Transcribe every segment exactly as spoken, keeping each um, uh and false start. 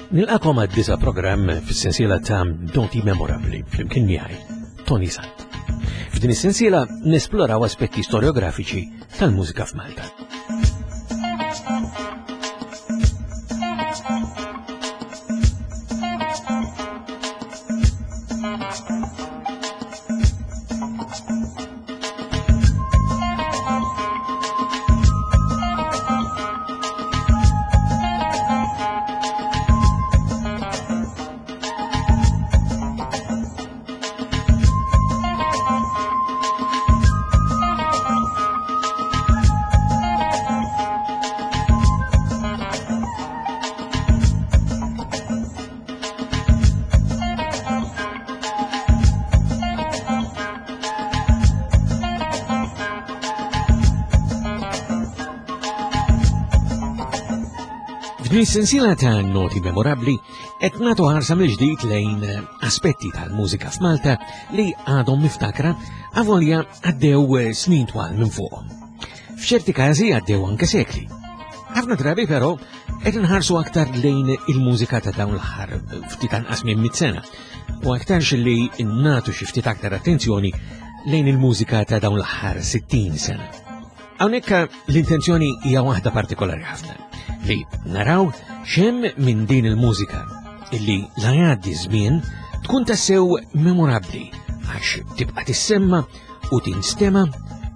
Nilqakom għad-disa programm fis-sensiela ta' Noti Memorabbli flimkien miegħi, Tony Sant. F'din is-sensiela nesploraw aspetti storiografiċi tal-mużika f'Malta. F'din is-sensiela ta' noti memorabbli qed nagħtu ħarsa mill-ġdid lejn aspetti tal-mużika f'Malta li għadhom miftakra avolja għaddew snin twal minn fuqhom. F'ċerti każi għaddew anke sekli. Ħafna drabi però qed inħarsu aktar lejn il-mużika ta' dawn l-aħħar ftit anqas minn mit sena u aktarx li nagħtu xi ftit aktar attenzjoni lejn il-mużika ta' dawn l-aħħar sittin sena. Hawnhekk l-intenzjoni hija waħda partikolari ħafna, li naraw x'hemm minn din il-mużika illi la jgħaddi żmien tkun tassew memorabbli għax tibqa' tissemma u tinstema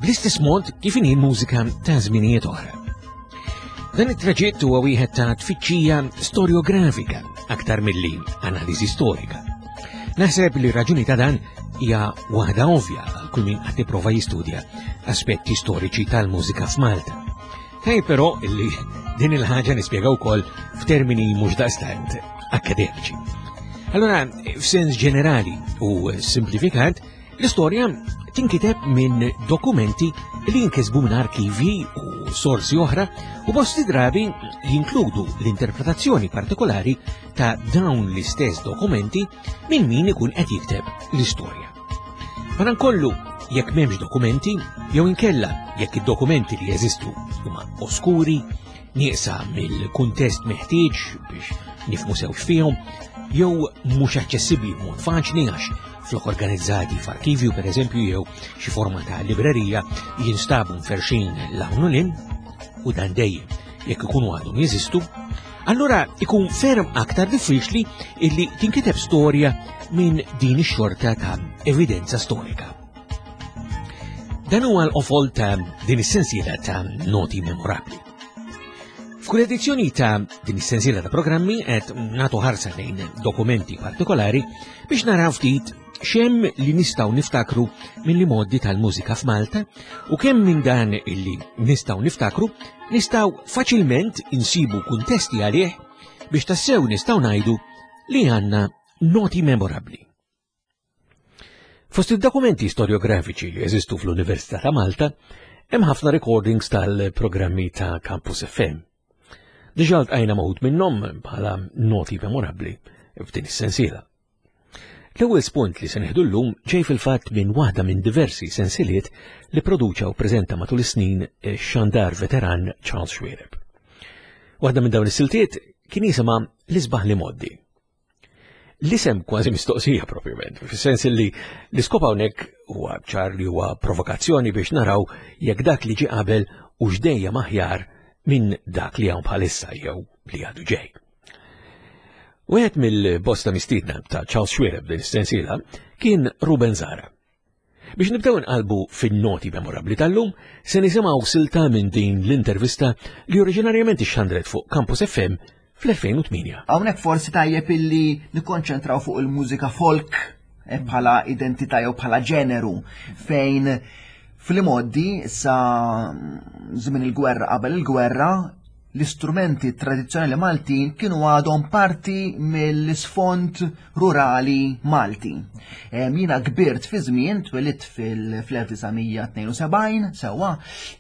bl-istess mod kif inhi l-mużika ta' żminijiet oħra. Dan it-traġitt huwa wieħed ta' tfittxija storiografika aktar milli analiżi storika. Naħseb li raġuni ta' dan hija waħda ovvja għal kull min qed jipprova jistudja aspetti storiċi tal-mużika f'Malta. Tajjeb però illi din il-ħaġa nispjega wkoll f'termini mhux daqstant akademiċi. Allora, f'sens ġenerali u simplifikat, l-istorja tinkiteb minn dokumenti li jinkisbu minn arkivi u sorsi oħra u bosti drabi jinkludu l-interpretazzjoni partikolari ta' dawn l-istess dokumenti minn min ikun qed jikteb l-istorja. Madankollu, jekk m'hemmx dokumenti, jew inkella jekk id-dokumenti li jeżistu huma oskuri, nieqsa mill-kuntest meħtieġ biex nifhmu sew x'fihom, jew mhux aċċessibbli b'mod faċli għax flok organizzati f'arkivju pereżempju jew xi forma ta' librerija jinstabu mferxin l-hawn u l-in, u dan dejjem jekk ikunu għadhom jeżistu, allura ikun ferm aktar diffiċli illi tinkiteb storja minn din ix-xorta ta' evidenza storika. Dan huwa l-qofol ta' din is-sensiela ta' noti memorabbli. F'kull edizzjoni ta' din is-sensiela ta' programmi qed nagħtu ħarsa lejn dokumenti partikolari biex naraw ftit x'hemm li nistgħu niftakru mill-modi tal-mużika f'Malta u kemm minn dan illi nistgħu niftakru nistgħu faċilment insibu kuntesti għalih biex tassew nistgħu ngħidu li għandna noti memorabbli. Fost id-dokumenti storiografiċi li jeżistu fl-Università ta' Malta, hemm ħafna recordings tal-programmi ta' Campus F M. Diġà ltqajna ma' wħud minnhom bħala noti memorabbli f'din is-sensiela. L-ewwel spunt li se nieħdu llum ġej fil-fatt minn waħda minn diversi sensiliet li produċa u preżenta matul is-snin x-xandar veteran Charles Xuereb. Waħda minn dawn is-siltiet kien jisimha L-Isbaħ li Moddi. L-isem kważi mistoqsija propjament, fis-sens li l-iskop hawnhekk huwa ċar li huwa provokazzjoni biex naraw jekk dak li ġie qabel u x'dejjem aħjar minn dak li hawn bħalissa jew li għadu ġej. Wieħed mill-bosta mistiedna ta' Charles Xuereb din is-sensiela kien Ruben Zahra. Biex nibdew nqalbu fin-noti memorabbli tal-lum, se nisimgħu silta minn din l-intervista li oriġinarjament ixxandret fuq Campus F M fl-elfejn u tmienja. Hawnhekk forsi tajjeb illi nikkonċentraw fuq il-mużika folk, eh, bħala identità jew bħala ġeneru, fejn fil-modi sa żmien il-gwerra qabel il-gwerra l-istrumenti tradizzjonali Maltin kienu għadhom parti mill-isfond rurali Malti. Em, jiena kbirt fi żmien, twelidt fil-, fl-elf disa' mija tnejn u sebgħin, sewwa,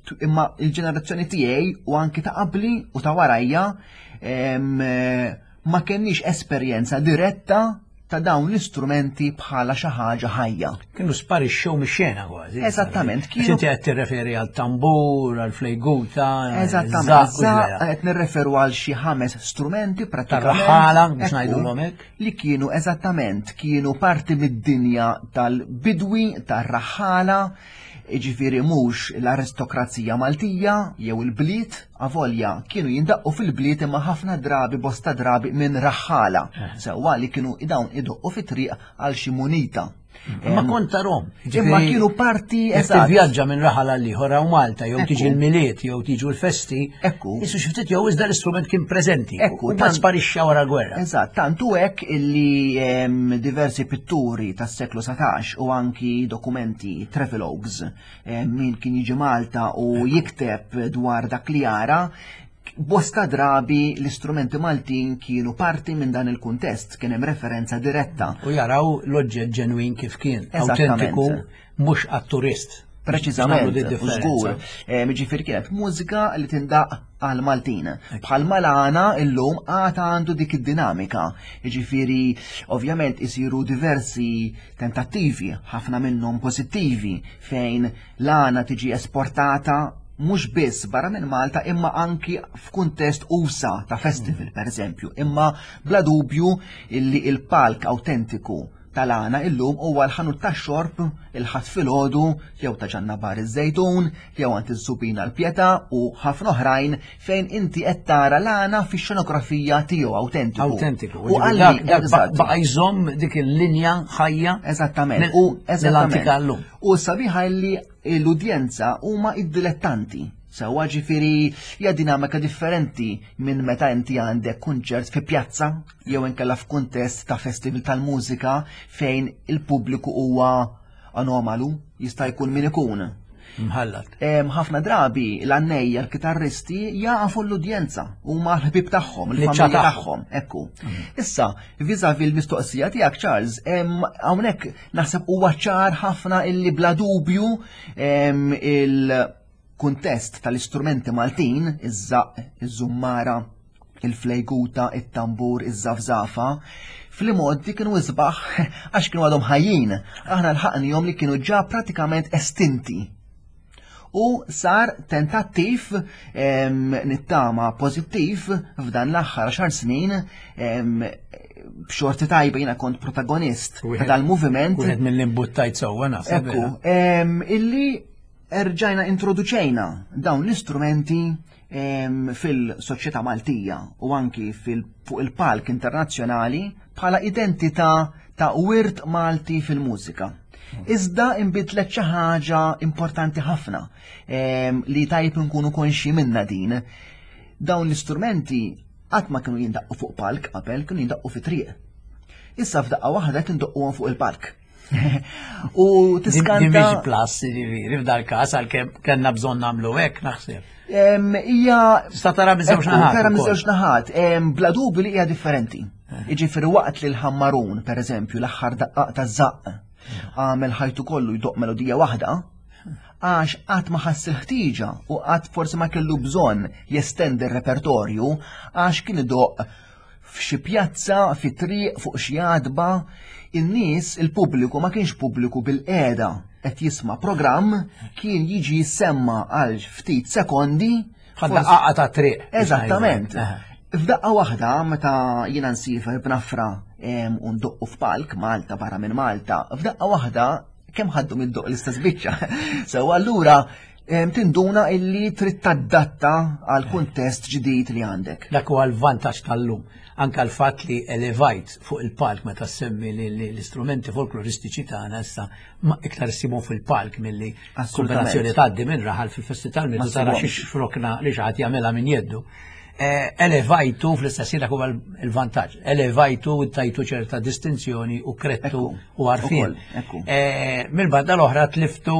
tu-, imma l-ġenerazzjoni tiegħi u anki ta' qabli u ta' warajja, em, ma kenniex esperjenza diretta ta' dawn l-istrumenti bħala xi ħaġa ħajja. Kienu sparixxew mix-xena kważi. Eżattament, kienu. Inti qed tirreferi għal tambur, għal flejguta. Eżattament, qed nirreferu għal xi ħames strumenti prattikament. Tar-raħala biex ngħidulhom hekk. Li kienu eżattament kienu parti mid-dinja tal-bidwi, tar-raħala, jiġifieri mhux l-aristokrazija Maltija jew il-bliet, avolja kienu jindaqqu fil-bliet imma ħafna drabi, bosta drabi minn raħħala. Sewwa li kienu dawn idoqqu fit-triq għal xi munita. Imma kont tarhom. Imma kienu parti eżatt. Tivvjaġġa minn raħal għal ieħor hawn Malta jew tiġi l-Milied jew tiġu l-festi. Ekku. Isu xi ftit jew iżda l-istrument kien preżenti. Ekku. U sparixxa wara l-gwerra. Eżatt, tant hu hekk illi diversi pitturi tas-seklu satax u anki dokumenti, travelogues, min kien jiġi Malta u jikteb dwar dak li jara, bosta drabi l-istrumenti Maltin kienu parti minn dan il-kuntest, kien hemm referenza diretta. U jaraw l-oġġett ġenwin kif kien, autentiku, mhux għat-turist. Preċiżament, żgur. Jiġifieri kienet mużika li tindaq għal Maltin. Bħal malana illum għad għandu dik id-dinamika. Jiġifieri ovvjament isiru diversi tentattivi, ħafna minnhom pożittivi, fejn l-għana tiġi esportata mhux biss barra minn Malta imma anki f'kuntest usa ta' festival per eżempju, imma bla dubju illi il-palk autentiku tal-għana illum huwa l-ħanut tax-xorb il-ħadd filgħodu jew ta' Ġannabar iż-Żejtun jew għand iż-Żubina l-Pietà u ħafna oħrajn fejn inti qed tara l-għana fix-xenografija tiegħu autentiku. Autentiku. U għalli baqa' jżomm dik il-linja ħajja. Eżattament. U eżattament. Llum. U sabiħa li l-udjenza huma id-dilettanti. Sewwa ġifieri hija dinamika differenti minn meta inti għandek kunċert fi pjazza jew inkella f'kuntest ta' festival tal-mużika fejn il-pubbliku huwa anomalu, jista' jkun min ikun. Mħallat. Ħafna drabi l-għannejja, l-kitarristi jafu l-udjenza, huma l-ħbieb tagħhom, il-familja tagħhom, ekku. Issa, vis-à-vis l-mistoqsija tiegħek Charles, hawnhekk naħseb huwa ċar ħafna illi bla dubju il- kuntest tal-istrumenti Maltin, iż-żaqq, iż-żummara, il-flejguta, it-tambur, iż-żafżafa, fl-imoddi kienu isbaħ għax kienu għadhom ħajjin. Aħna lħaqnihom li kienu ġa pratikament estinti. U sar tentattiv nittama pożittiv f'dan l-aħħar għaxar snin, b'xorti tajba jiena kont protagonist ta' dal-moviment. Wieħed mill-imbuttajt sewwa naħseb. Ekku, illi erġajna introduċejna dawn l-istrumenti fil-soċjetà Maltija u anki fuq il-palk internazzjonali bħala identità ta' wirt Malti fil-mużika. Iżda inbidlet xi ħaġa importanti ħafna li tajb nkunu konxi minna din. Dawn l-istrumenti qatt ma kienu jindaqqu fuq palk qabel, kienu jindaqqu fi triq. Issa f'daqqa waħda tindoqquhom fuq il-palk. U tiskanta. Din mhix plus, jiġifieri, f'dal każ għalkemm kellna bżonn nagħmlu hekk naħseb. Hija Tista' tara miż-żewġ naħat. Tara miż-żewġ naħat, bla dubju li hija differenti. Jiġifieri waqt li l-ħammarun, pereżempju, l-aħħar daqqaq taż-żaqq għamel ħajtu kollu jdoq melodija waħda, għax qatt ma ħass il-ħtieġa u qatt forsi ma kellu bżonn jestendi r-repertorju għax kien idoq f'xi pjazza, fi triq, fuq xi għadba, in-nies, il-pubbliku ma kienx pubbliku bil-qiegħda qed jisma' programm, kien jiġi jissemma għal ftit sekondi. F'daqqa ta' triq. Eżattament. F'daqqa waħda meta jiena nsifer b'nafra u ndoqqu f'palk Malta barra minn Malta, f'daqqa waħda kemm ħaddu mid-doq l-istess biċċa. Sew allura tinduna illi trid tadatta għal kuntest ġdid li għandek. Dak huwa l-vantaġġ tal-lum. Anka l-fatt li elevajt fuq il-palk meta semmi l-istrumenti folkloristiċi tagħna issa ma iktar issibhom fil-palk milli kombinazzjoni tgħaddi minn raħal fil-festi tal-Milied tara xi xfrokna li xi ħadd jagħmilha minn jeddu. Elevajtu fl-istess ħin dak huwa l-vantaġġ. Elevajtu tajtu ċerta distinzjoni u krettu u għarfien. Mill-banda l-oħra tliftu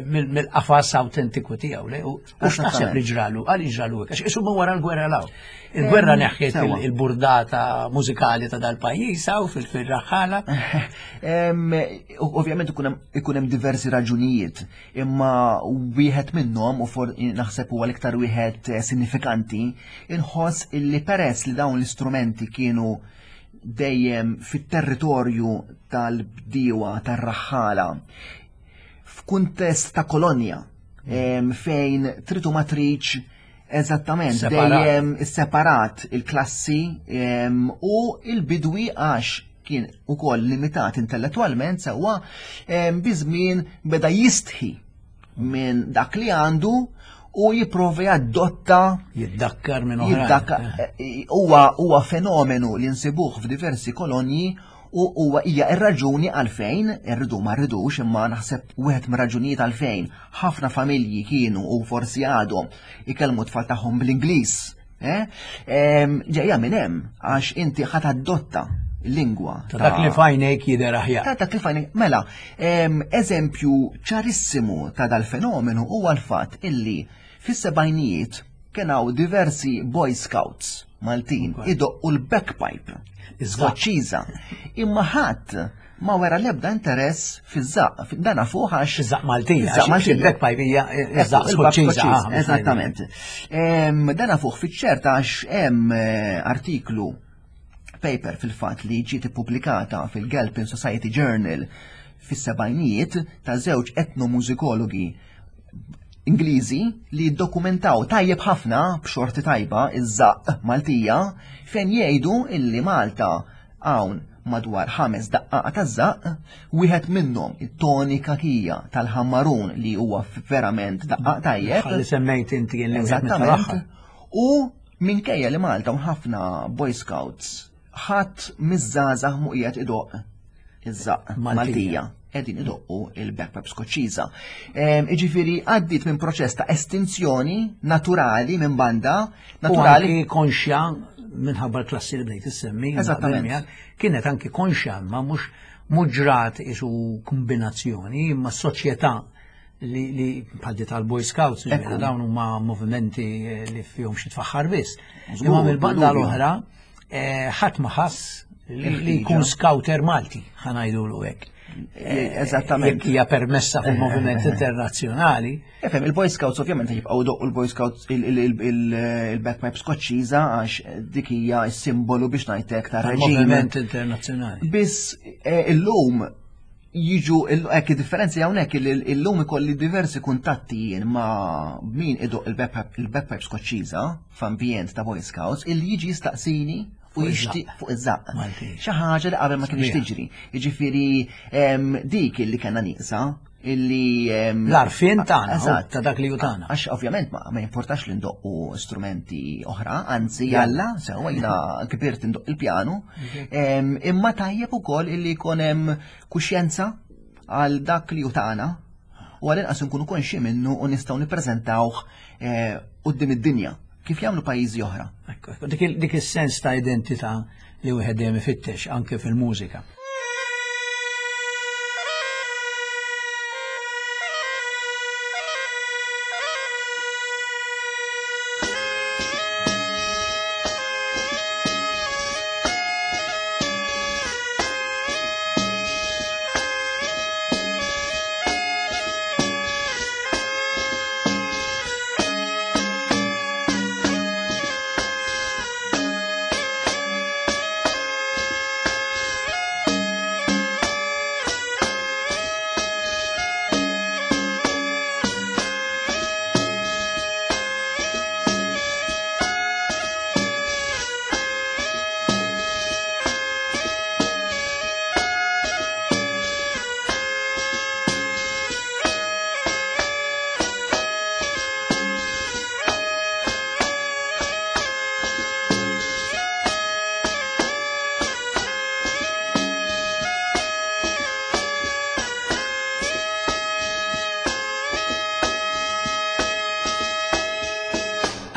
mill-qafas autentiku tiegħu. U x'taħseb li ġralu? Għal ġralu hekk, għax isuma wara l-gwerra law. Il-gwerra neħħiet il-burdata mużikali ta' dal-pajjiż hawn fil-raħħala. Ovvjament ikun hemm diversi raġunijiet, imma wieħed minnhom u naħseb huwa l-iktar wieħed sinifikanti, inħoss illi peress li dawn l-istrumenti kienu dejjem fit-territorju tal-bdiewa tar-raħħala f'kuntest ta' kolonja fejn tritu ma tridx eżattament dejjem separat il-klassi u il-bidwi għax kien ukoll limitat intellettwalment sewwa biżmien beda jistħi minn dak li għandu u jipprova jadotta jiddakkar minn oħrajn. Huwa huwa fenomenu li nsibuh f'diversi kolonji u huwa hija r-raġuni għalfejn irridu ma rridux imma naħseb wieħed mir-raġunijiet għalfejn ħafna familji kienu u forsi għadhom ikellmu tfal tagħhom bl-Ingliż. Ġejja minn hemm għax inti ħadd adotta lingwa. Ta' dak li fajnejk jidher aħjar. Ta' dak li fajnejk, mela, eżempju ċarissimu ta' dal-fenomenu huwa l-fatt illi fis-sebgħinijiet kien hawn diversi Boy Scouts Maltin idoqqu l-bagpipe Skoċċiża. Imma ħadd ma wera l-ebda interess fiż-żaqq, dan fuq għax iż-żaqq Maltin, iż-żaqq Maltin, il-bagpipe hija iż-żaqq Skoċċiża. Eżattament. Dan fuq fiċ-ċerta għax hemm artiklu paper fil-fatt li ġiet ippubblikata fil-Galpin Society Journal fis-sebgħinijiet ta' żewġ etnomużikologi Ingliżi li ddokumentaw tajjeb ħafna b'xorti tajba iż-żaqq Maltija fejn jgħidu illi Malta hawn madwar ħames daqqaqa taż-żaqq, wieħed minnhom it-tonika kija tal-ħammarun li huwa verament daqqaq tajjeb. Ħalli semmejt inti li eżattament. U minkejja li Malta hawn ħafna Boy Scouts ħadd miż-żgħażagħ mhu qiegħed idoqq iż-żaqq Maltija. Qegħdin idoqqu il-bagpipe Skoċċiża. Jiġifieri għaddiet minn proċess ta' estinzjoni naturali minn banda naturali. U anki konxja minħabba l-klassi li bdejt issemmi. Eżattament. Kienet anki konxja ma mhux mhux ġrat isu kombinazzjoni imma s-soċjetà li bħal tal-Boy Scouts, dawn huma movimenti li fihom xi tfaħħar biss. Imma mill-banda l-oħra ħadd ma ħass li jkun scouter Malti, ħa ngħidulu hekk. Eżattament. Jekk hija permessa fil-moviment internazzjonali. Efhem, il-Boy Scouts ovvjament jibqgħu doqqu l-Boy Scouts il-bagpipe Skoċċiża għax dik hija s-simbolu biex ngħidlek ta' reġim. Moviment internazzjonali. Biss illum jiġu hekk id-differenzi hawnhekk illum ikolli diversi kuntatti jien ma' min idoq il-bagpipe Skoċċiża f'ambjent ta' Boy Scouts illi jiġi jistaqsini u jixtieq fuq iż-żaqq. Xi ħaġa li qabel ma kienx tiġri. Jiġifieri dik illi kellna nieqsa illi l-għarfien tagħna ta' dak li hu tagħna. Għax ovvjament ma jimportax li ndoqqu strumenti oħra, anzi jalla, sewwa jiena kbirt indoq il-pjanu, imma tajjeb ukoll illi jkun hemm kuxjenza għal dak li hu tagħna u għal inqas nkunu konxi minnu u nistgħu nippreżentawh quddiem id-dinja kif jagħmlu pajjiżi oħra. Dik is-sens ta' identità li wieħed dejjem ifittex anke fil-mużika.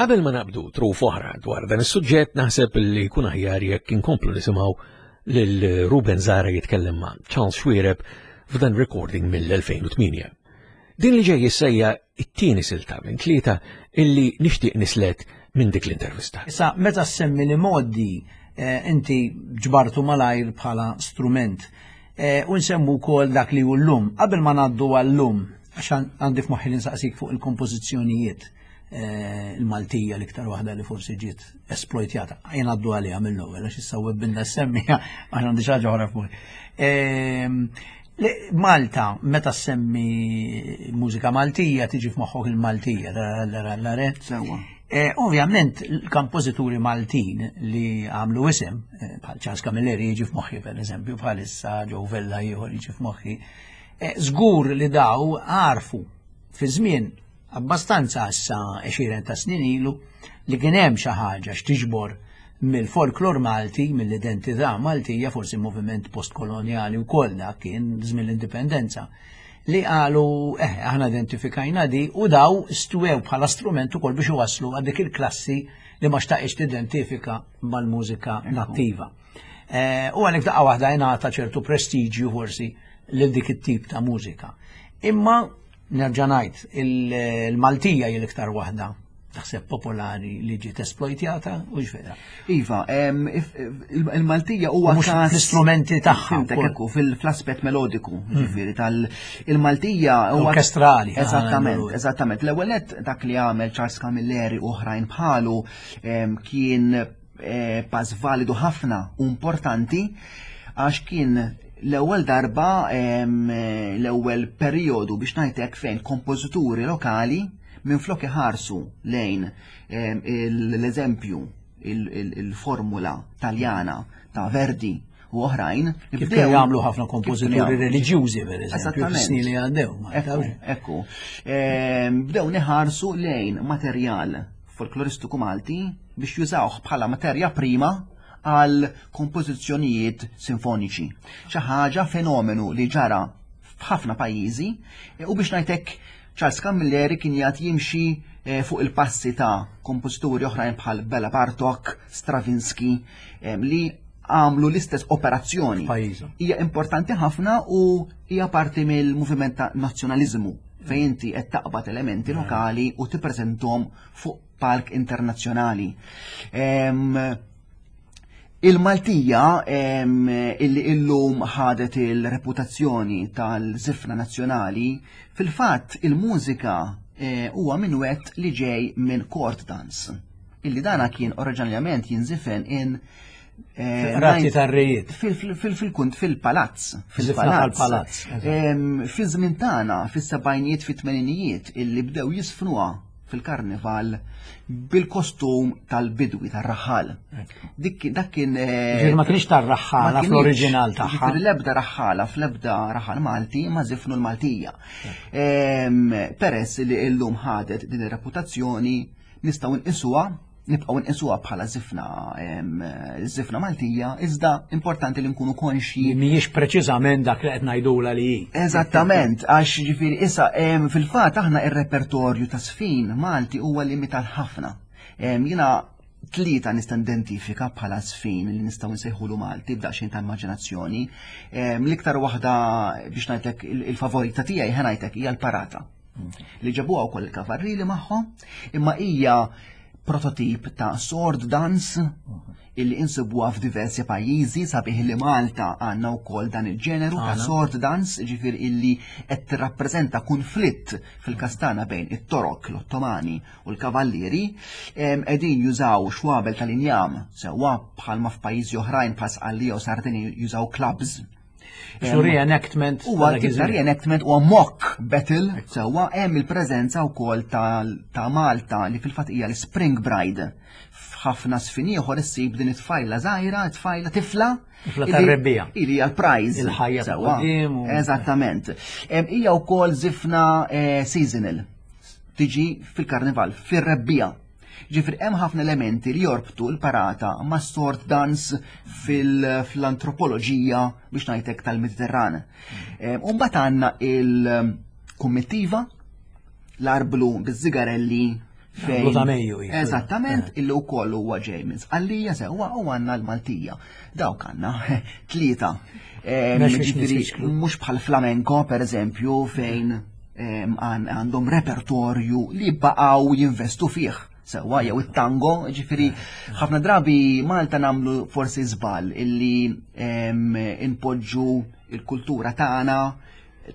Qabel ma naqbdu truf oħra dwar dan is-suġġett, naħseb li jkun aħjar jekk inkomplu nisimgħu lil Ruben Zahra jitkellem ma' Charles Xuereb f'dan recording mill-elfejn u tmienja. Din li ġej issejja it-tieni silta minn tlieta illi nixtieq nislet minn dik l-intervista. Issa, meta semmi li modi inti ġbartu malajr bħala strument u nsemmu wkoll dak li hu llum. Qabel ma ngħaddu għal-lum, għax għandi f'moħħi li nsaqsik fuq il-kompożizzjonijiet eh, il-Maltija l-iktar waħda li forsi ġiet esploitjata. Jien għaddu għaliha mill-ewwel għax issa webbinna semmija għax għandi xi ħaġa oħra f'moħħi. Ehm, li- Malta, meta semmi mużika Maltija, tiġi f'moħħok il-Maltija, la la re. Sewwa. Eh, Ovvjament, il-kompożituri Maltin li għamlu isem, eh, bħal Charles Camilleri jiġi f'moħħi per eżempju, bħalissa Joe Vella ieħor jiġi f'moħħi, eh, żgur li daw għarfu fi żmien abbastanza issa għexieren ta' snin ilu li kien hemm xi ħaġa x'tiġbor mill-folklor Malti, mill-identità Maltija, forsi moviment postkoloniali wkoll dak kien żmien l-indipendenza li qalu, eh, aħna identifikajna di u daw stwew bħala strument ukoll biex iwasslu għal dik il-klassi li ma xtaqx tidentifika mal-mużika nattiva. Eh, u għalhekk daqqa waħda jingħata ċertu prestiġju forsi lil dik it-tip ta' mużika. Imma nerġa' ngħid, il-Maltija hi l-iktar waħda taħseb popolari li ġiet esploitjata u ġvera. Iva, em, if- il- il-Maltija huwa Mhux każ fl-istrumenti tagħha Fhimtek, wkoll. ekku, fil-aspett melodiku, ġifieri tal-il-Maltija huwa Orkestrali, Eżattament, ah, eżattament. L-ewwel nett dak li għamel Charles Camilleri u oħrajn bħalu em, kien eh, pass validu ħafna u importanti għax kien l-ewwel darba em, l-ewwel perjodu biex ngħidlek fejn kompożituri lokali minflok iħarsu lejn em, l-eżempju il- il- il-formula taljana ta' Verdi u oħrajn Kif bdew- kienu jagħmlu ħafna kif kienu kompożituri jagħmlu. reliġjużi per eżempju, Eżattament. fis-snin li għaddew. ma Ekku, tafx. ekku. Ehm, Bdew neħarsu lejn materjal folkloristiku Malti biex jużawh bħala materja prima għal kompożizzjonijiet sinfoniċi. Xi ħaġa fenomenu li ġara f'ħafna pajjiżi e, u biex ngħidlek Charles Camilleri kien jgħid jimxi eh, fuq il-passi ta' kompożituri oħrajn bħal Bela Bartok, Stravinsky, em, li għamlu l-istess operazzjoni. F'pajjiżhom. Hija importanti ħafna u hija parti mill-moviment ta' nazzjonaliżmu fejn inti qed taqbad elementi lokali u tippreżenthom fuq palk internazzjonali. Em, Il-Maltija em, illi illum ħadet il-reputazzjoni tal-żifna nazzjonali, fil-fatt il-mużika eh, huwa minwett li ġej minn court dance. Illi dana kien oriġinarjament jinżifen in eh, Rati nine- tar-rejiet. fil-kunt fil-palazz. Żifna tal-palazz, Em, Fi żmien tagħna, fis-sebgħinijiet, fit-tmeninijiet, illi bdew jisfnuha fil-karnival bil-kostum tal-bidwi tar-raħal. Dik dak kien eh, Ġifieri ma kienx tar-raħħala ma kienx. fl-oriġinal tagħha. Ġifieri l-ebda raħħala fl-ebda raħal Malti ma żifnu l-Maltija. Em, Peress li illum ħadet din ir-reputazzjoni nistgħu nqisuha nibqgħu nqisuha bħala żifna em, żifna Maltija, iżda importanti li nkunu konxji Li mhijiex preċiżament dak li qed ngħidula li hi. Eżattament, għax ġifieri issa em, fil-fatt aħna ir-repertorju ta' sfin Malti huwa limitat ħafna. Em, Jiena tlieta nista' identifika bħala sfin li nistgħu nsejħulu Malti b'daqsxejn ta' immaġinazzjoni. Em, L-iktar waħda biex ngħidlek il- il-favorita tiegħi ħa ngħidlek hija l-parata. Li ġabuha wkoll il-kavarrili magħhom, imma hija prototip ta' sword dance illi insibuha f'diversi pajjiżi sabiħ li Malta għandna wkoll dan il-ġeneru ta' sword dance, ġifier illi qed tirrappreżenta konflitt fil-Kastana bejn it-Torok, l-Ottomani u l-Kavallieri, em, qegħdin jużaw xwabel tal-injam sewwa bħalma f'pajjiżi oħrajn bħal Sqallija u Sardini jużaw clubs. Su reenactment. Huwa ta' dak tip ta' iż-żmien. reenactment huwa mock battle sewwa hemm il-preżenza wkoll ta' ta' Malta li fil-fatt hija l-Spring Bride. F'ħafna sfin ieħor issib din it-tfajla żgħira, tfajla tifla. Tifla illi- tar-rebbiegħa. Illi hija l-prize. Il-ħajja ta' Sewwa. quddiem u- Eżattament. Em, Hija wkoll żifna eh, seasonal. Tiġi fil-karnival, fir-rebbiegħa. Ġifieri hemm ħafna elementi li jorbtu l-parata ma' sword dance fil-antropoloġija biex ngħidlek tal-Mediterran. Em, U mbagħad għandna il-kummittiva, l-arblu biż-żigarelli fejn. Arblu ta' Mejju, jisu. Eżattament, illi wkoll huwa ġej minn Sqallija sewwa u għandna l-Maltija. Dawk għandna tlieta. Em, Mhux biex ġifieri, nisfiċklu. mhux bħal flamenco per eżempju fejn em, għan- għandhom repertorju li baqgħu jinvestu fih. Sewwa jew it-tango, ġifieri ħafna drabi Malta nagħmlu forsi żball illi em, inpoġġu il-kultura tagħna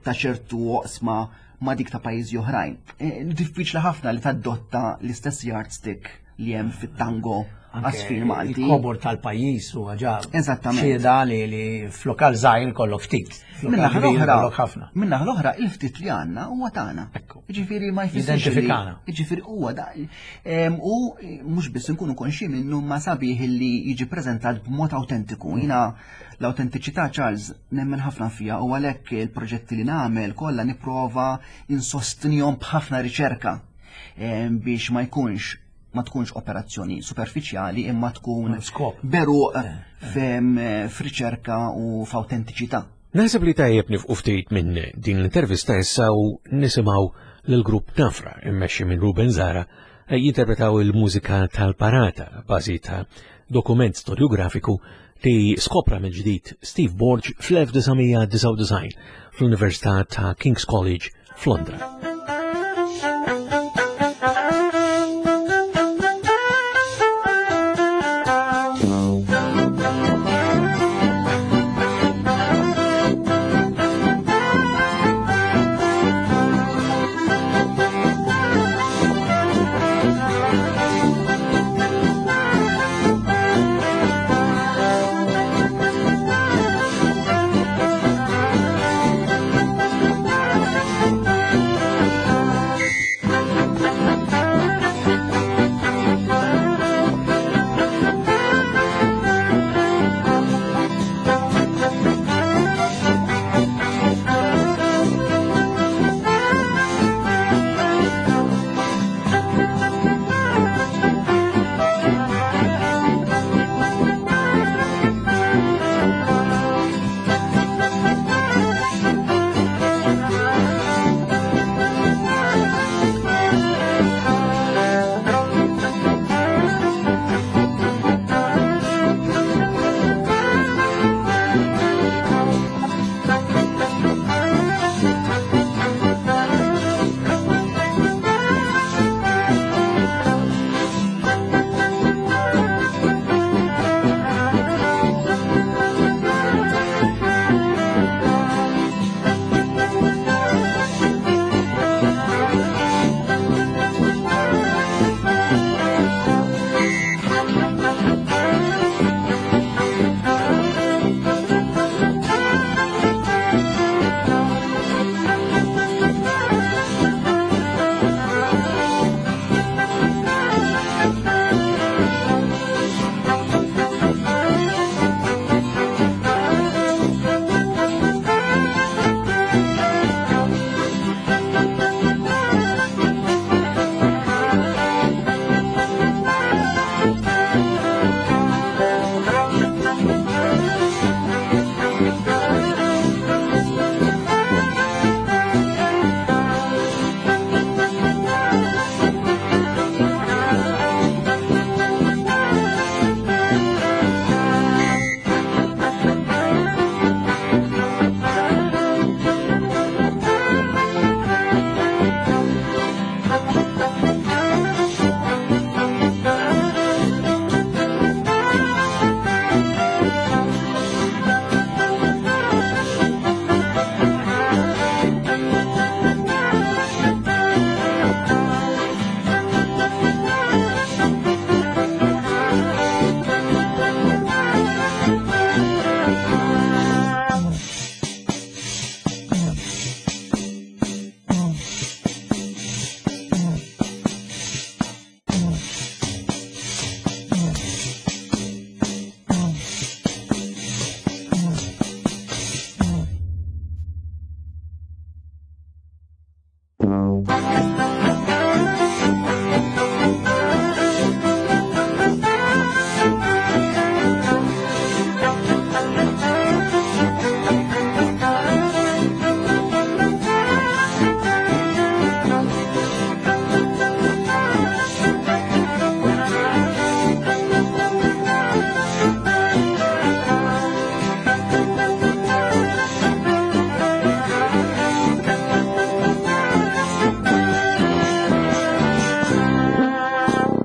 ta' ċertu oqsma ma' dik ta' pajjiżi oħrajn. E, diffiċli ħafna li tadotta l-istess yardstick li hemm fit-tango għasfir Malti. Il-kobor tal-pajjiż u ġa. Eżattament. Xieda li li f'lokal żgħir kollok ftit. Min-naħa l-oħra, min-naħa l-oħra il-ftit li għandna huwa tagħna. Jiġifieri ma jfissirx. Identifikana. Jiġifieri huwa da. U mhux biss inkunu konxi minnu ma sabiħ li jiġi preżentat b'mod awtentiku. Jiena l-autentiċità, Charles, nemmen ħafna fija u għalhekk il-proġetti li nagħmel kollha nipprova insostnihom b'ħafna riċerka biex ma jkunx ma tkunx operazzjoni superfiċjali imma tkun beruq f'riċerka u f'autentiċità. Naħseb li tajjeb nifqu ftit minn din l-intervista issa u nisimgħu lill-grupp Nafra immexxi minn Ruben Zara jinterpretaw il-mużika tal-Parata bażi ta' dokument storiografiku li skopra mill-ġdid Steve Borg fl-elf disa' mija disgħa u disgħin fl-Università ta' King's College f'Londra.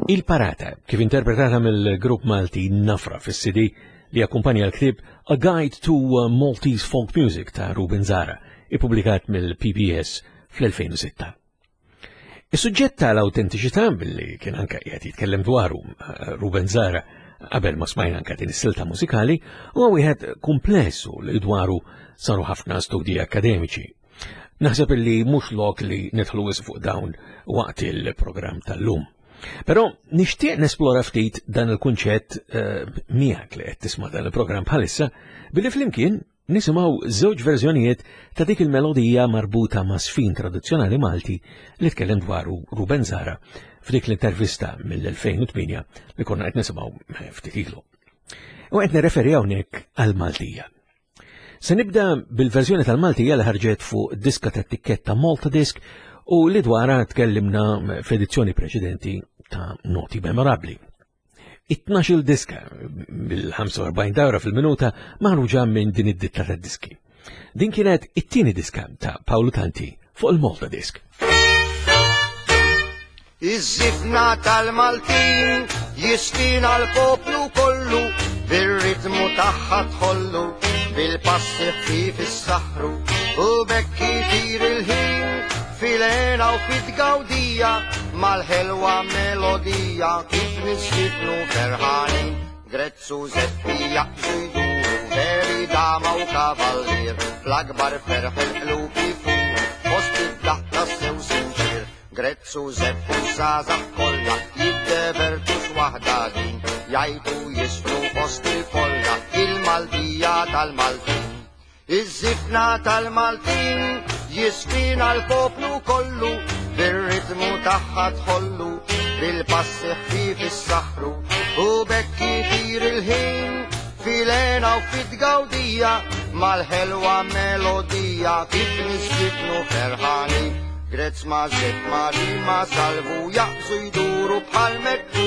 Il-Parata, kif interpretata mill-grupp Malti Nafra fis-C D li akkumpanja l-ktieb A Guide to Maltese Folk Music ta' Ruben Zara, ippubblikat mill-P B S fl-elfejn u sitta. Is-suġġett tal-awtentiċità billi kien anke qiegħed jitkellem dwaru Ruben Zahra qabel ma smajna anke din is-silta mużikali huwa wieħed komplessu li dwaru saru ħafna studji akademiċi. Naħseb illi mhux lok li nidħlu wisq fuq dawn waqt il-programm tal-lum. Però nixtieq nesplora ftit dan il-kunċett eh, miegħek li qed tisma' dan il-programm bħalissa billi flimkien nisimgħu żewġ verżjonijiet ta' dik il-melodija marbuta ma' sfin tradizzjonali Malti li tkellem dwaru Ruben Zahra f'dik l-intervista mill-elfejn u tmienja li konna qed nisimgħu ftit ilu. U qed nirreferi hawnhekk għall-Maltija. Se nibda bil-verżjoni tal-Maltija li ħarġet fuq diska ta' tikketta Malta Disc u li dwarha tkellimna f'edizzjoni preċedenti ta' Noti Memorabbli. It-tnax-il diska bil-ħamsa u erbgħin dawra fil-minuta maħruġa minn din id-ditta ta' diski. Din kienet it-tieni diska ta' Paolo Tanti fuq il-Malta Disc. Iż-żifna tal-Maltin jistina l-poplu kollu, bir-ritmu tagħha tħollu, bil-passi ħfif is-saħru, u bekk itir il-ħin, fil-hena u fit-gawdija, mal-ħelwa melodija, kif nisfitnu ferħanin, Grezzu Zeppi jaqbżu jduru, veri dama u kavallier, fl-akbar ferħ il-qlub ifuru, fost id-daħka sew sinċir, Grezzu Zeppu żgħażagħ kollha, jiddevertu x'waħda din, jgħajtu jisfru fost il-folla, il-Maltija tal-Maltin. Iż-żifna tal-Maltin jisfina l-poplu kollu, bir-ritmu tagħha tħollu, bil-passi ħfif is-saħru, u bekk itir il-ħin, fil-hena u fit-gawdija, mal-ħelwa melodija, kif nisfitnu ferħani. Grezz ma' Zepp ma' Rima Salvu jaqbżu jduru bħal mekku,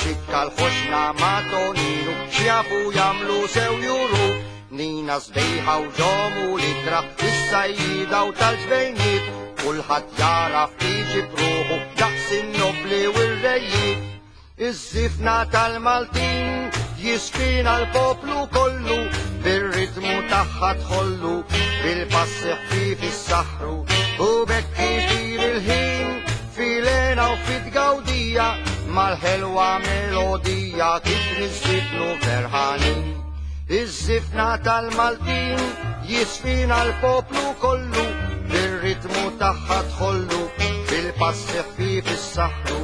ċikka l-ħoxna ma' Toninu, x'jafu jagħmlu sew juru. Nina sbejħa u ġomu l-ikra, is-sajjida u tal-ġbejniet, kulħadd jara f'iġi bruħu, daqs in-nobli u r-rejiet. Iż-żifna tal-Maltin jisfina l-poplu kollu, bir-ritmu tagħha tħollu, bil-passi ħfif is-saħru, u bekk itir il-ħin, fil-hena u fit-gawdija, mal-ħelwa melodija, kif nisfitnu ferħanin. Iż-żifna tal-Maltin jisfina l-poplu kollu, bir-ritmu tagħha tħollu, bil-passi ħfif is-saħru,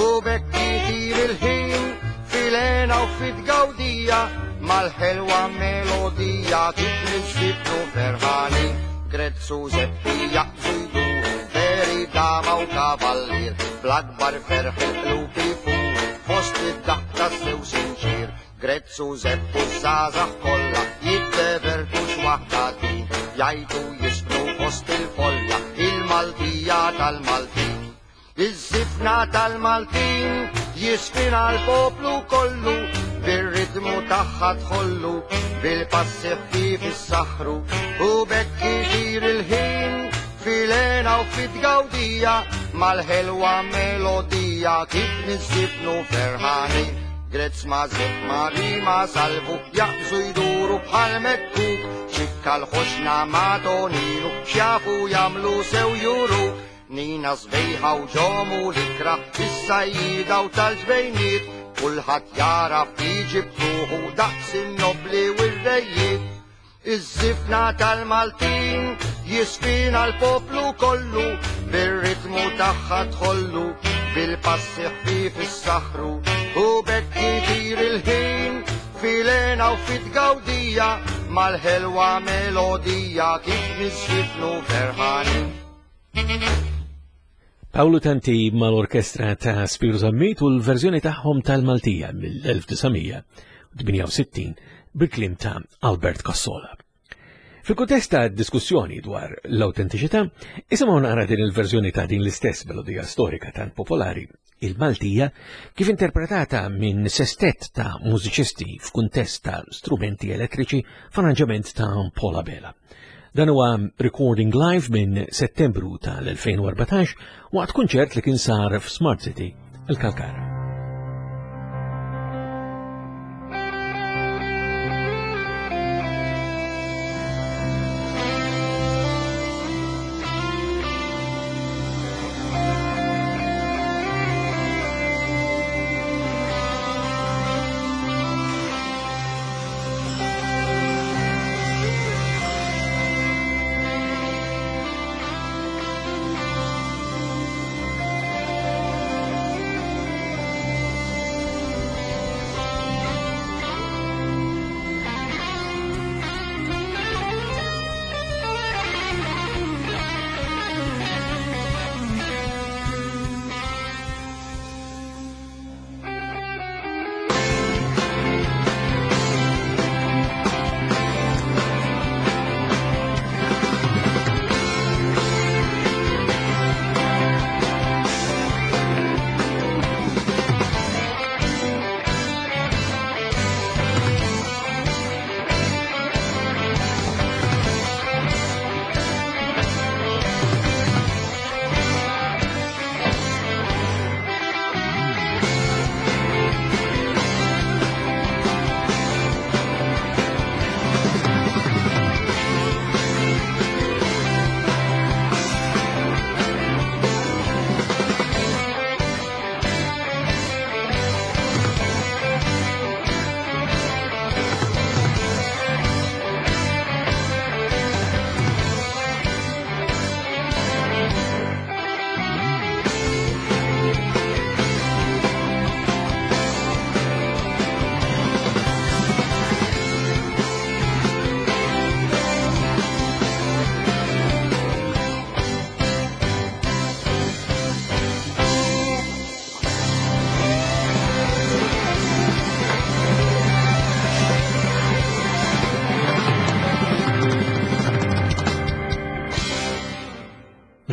u bekk itir il-ħin, fil-hena u fit-gawdija, mal-ħelwa melodija, kif nisfitnu ferħanin. Grezzu Zeppi jaqbżu jduru, veri dama u kavallier, bl-akbar ferħ il-qlub ifuru, fost id-daħka sew sinċir. Grezzu Zeppu żgħażagħ kollha, jiddevertu x'waħda din, jgħajtu jisfnu fost il-folla, il-Maltija tal-Maltin. Iż-żifna tal-Maltin jisfina l-poplu kollu, bir-ritmu tagħha tħollu, bil-passi ħfif is-saħru, u bekk itir il-ħin, fil-hena u fit-gawdija, mal-ħelwa melodija, kif nisfitnu ferħanin. Grezz ma' Zepp ma' Rima Salvu jaqbżu jduru bħal mekkuk, ċikka l-ħoxna ma' Toninu, x'jafu jagħmlu sew juru. Nina sbejħa u ġomu l-ikra, is-sajjida u tal-ġbejniet, kulħadd jara f'iġi b'ruħu, daqs in-nobli u r-rejiet. Iż-żifna tal-Maltin jisfina l-poplu kollu, bir-ritmu tagħha tħollu, bil-passi ħfif is-saħru, u bekk itir il-ħin, fil-hena u fit-gawdija, mal-ħelwa melodija, kif nisfitnu ferħanin. Paolo Tanti mal-orkestra ta' Spiro Zammit u l-verżjoni tagħhom tal-Maltija mill-elf disa' mija u tmienja u sittin bil-kliem ta' Albert Cassola. Fil-kuntest ta' diskussjoni dwar l-autentiċità, isimgħu naqra din il-verżjoni ta' din l-istess melodija storika tant popolari, il-Maltija, kif interpretata minn sestet ta' mużiċisti f'kuntest ta' strumenti elettriċi f'arranġament ta' Paul Abela. Dan huwa recording live minn Settembru tal-elfejn u erbatax waqt kunċert li kien sar f'Smart City, il-Kalkara.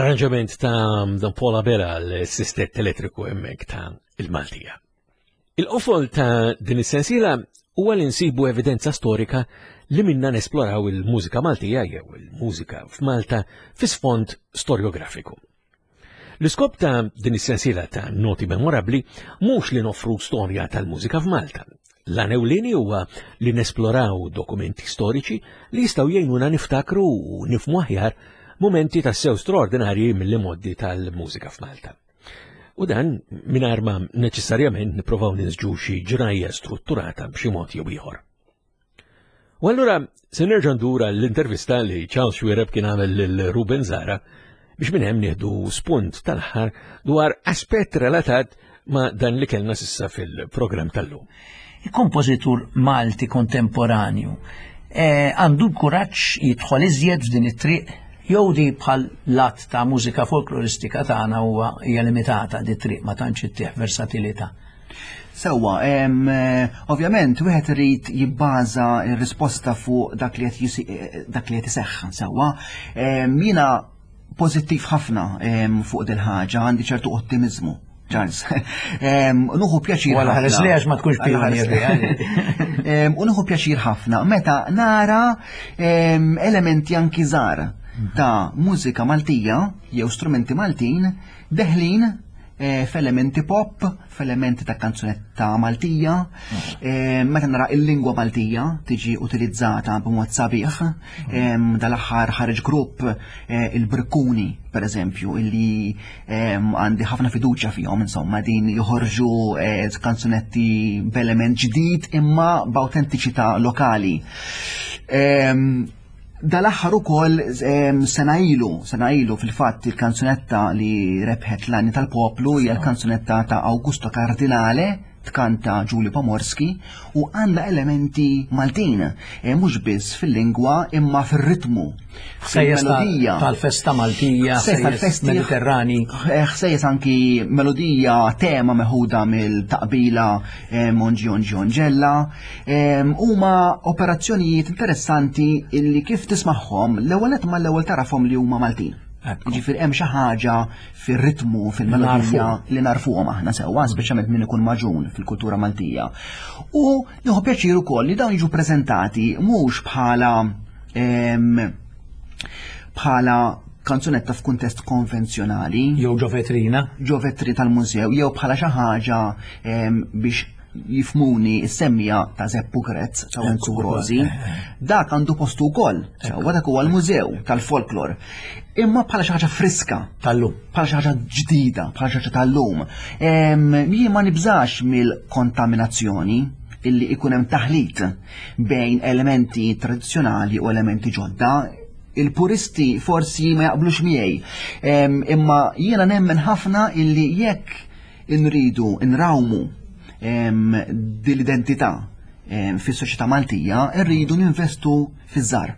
Arranġament ta' Don Paul Abela l-sistett elettriku hemmhekk ta' il-Maltija. Il-qofol ta' din is-sensiela huwa li nsibu evidenza storika li minna nesploraw il-mużika Maltija jew il-mużika f'Malta fi sfond storiografiku. L-iskop ta' din is-sensiela ta' noti memorabbli mhux li noffru storja tal-mużika f'Malta. L-għan ewlieni huwa li nesploraw dokumenti storiċi li jistgħu jgħinuna niftakru u nifhmu aħjar momenti tassew straordinarji mill-modi tal-mużika f'Malta. U dan mingħajr ma neċessarjament nipprovaw ninsġu xi ġrajja strutturata b'xi mod jew ieħor. U allura se nerġa' ndur l-intervista li Charles Xuereb kien għamel lil Ruben Zahra biex minn hemm nieħdu spunt tal-aħħar dwar aspett relatat ma' dan li kellna s'issa fil-programm tal-lum. Il-kompożitur Malti kontemporanju għandu l-kuraġġ jidħol iżjed f'din it-triq jew di bħal lat ta' mużika folkloristika tagħna huwa hija limitata di triq ma tantx ittieħ versatilità. Sewwa, ovvjament wieħed irid jibbaża r-risposta fuq dak li qed dak li qed iseħħ sewwa. Jiena pożittiv ħafna fuq dil ħaġa, għandi ċertu ottimizmu. Charles. Nuħu pjaċir. Wala ħares li għax ma tkunx pionier. U nuħu pjaċir ħafna meta nara elementi anki żgħar ta' mużika Maltija jew strumenti Maltin deħlin f'elementi pop, f'elementi ta' kanzunetta Maltija, meta nara il-lingwa Maltija tiġi utilizzata b'mod sabiħ, dal-aħħar ħareġ grupp il-Brikkuni, per eżempju, illi għandi ħafna fiduċja fihom, insomma, din joħorġu kanzunetti b'element ġdid imma b'awtentiċità lokali. Dal-aħħar ukoll sena ilu, sena ilu fil-fatt il-kanzunetta li rebħet l-Għanja tal-Poplu hija l-kanzunetta ta' Augusto Cardinale, tkanta Giulio Pomorski, u għandha elementi Maltin, mhux biss fil-lingwa imma fir-ritmu, fil-melodija. Tal-festa Maltija, ħsejjes Mediterrani. Ħsejjes anki melodija tema meħuda mill-taqbila Monġi Onġi Onġella. Huma operazzjonijiet interessanti illi kif tismagħhom l-ewwel nett mal-ewwel tarafhom li huma Maltin. Ġifieri hemm xi ħaġa fir-ritmu, fil-melodija li narfuhom aħna sewwa, speċjalment min ikun maġun fil-kultura Maltija. U nieħu pjaċir ukoll li dawn jiġu preżentati mhux bħala bħala kanzunetta f'kuntest konvenzjonali. Jew ġo vetrina. Ġo vetrina tal-mużew, jew bħala xi ħaġa biex jifmuni s-semmija ta' Zeppu Grezz ta' Wenzu Rosi, dak għandu postu wkoll, sewwa dak huwa l-mużew tal-folklor. Imma bħala xi ħaġa friska tal-lum, bħala xi ħaġa ġdida, bħala xi ħaġa tal-lum. Jien ma nibżax mill-kontaminazzjoni illi ikun hemm taħlit bejn elementi tradizzjonali u elementi ġodda. Il-puristi forsi ma jaqblux miegħi, imma jiena nemmen ħafna illi jekk inridu nrawmu dil-identità fis-soċjetà Maltija, rridu ninvestu fiż-żgħar,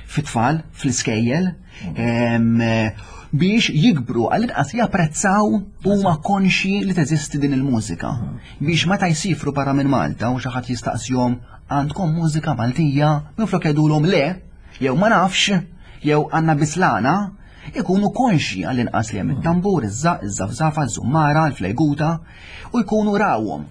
fit-tfal, fl-iskejjel, biex jikbru għall-inqas japprezzaw huma konxi li teżisti din il-mużika. Biex meta jsifru barra minn Malta u xi ħadd jistaqsihom għandkom mużika Maltija, minflok jgħidulhom le, jew ma nafx, jew għandna bislana, ikunu konxi għall-inqas li hemm it-tambur, iż-żaq, iż-żafżafa, iż-żummara, l-flejguta, u jkunu rawhom.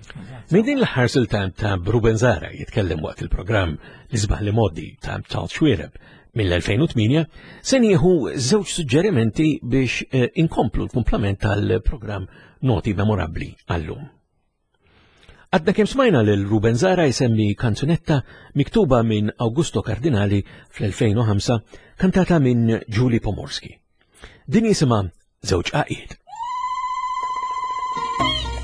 Minn din l-aħħar silta ta' Ruben Zahra jitkellem waqt il-programm L-Isbaħ li Modi ta' Charles Xuereb mill-elfejn u tmienja, se nieħu żewġ suġġerimenti biex inkomplu l-kumplament tal-programm Noti Memorabbli għallum. Għadna kemm smajna lil Ruben Zahra jsemmi kanzunetta miktuba minn Augusto Cardinali fl-elfejn u ħamsa, kantata minn Julie Pomorski. Din jisimha Żewġ Għaqiet. Thank you.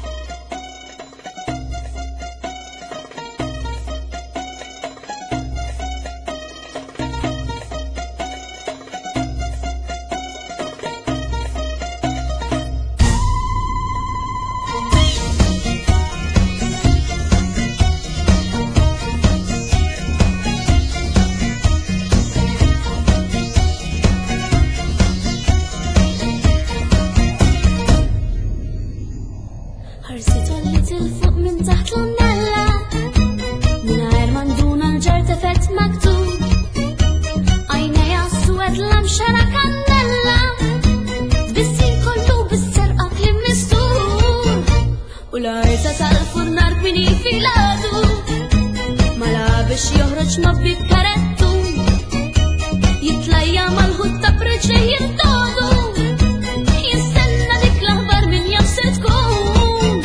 Joħroġ ma bikarettu, jitlajja mal-ħut ta' preċe jintodu, jistenna dik l-aħbar min jaf se tkun.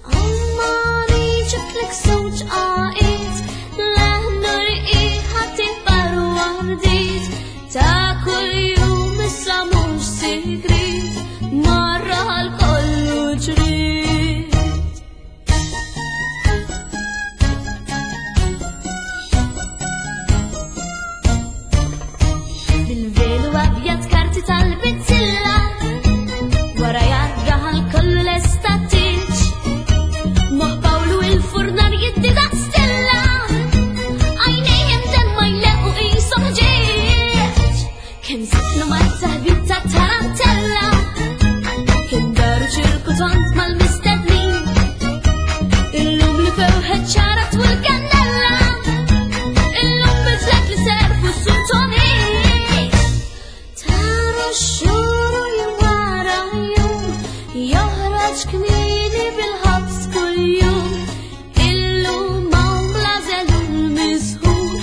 Għammani ġitlek żewġ għaqid, leħnu rqiħa tikbar u għardit, ta' kuljum issa mhux sigrit, marra għal kollu ġrid. Bil-velu abjad karti tal-bizzilla, wara jarraħal kollu l-estatiċ, moħ Pawlu il-furnar jiddi daqs stella, għajnejjem dan ma jlequ qishom ġieġ. Kemm sifnu mat-taħbit ta' tarantella, kemm daru ċirku tont mal-mistednin, illum li fewħet ċara twil kannella, illum bidlet li serfu s-sultoni. Taru xhur u jum wara jum, joħroġ kmieni bil-ħabs kuljum. Illum hawn bla żelu l-misħur,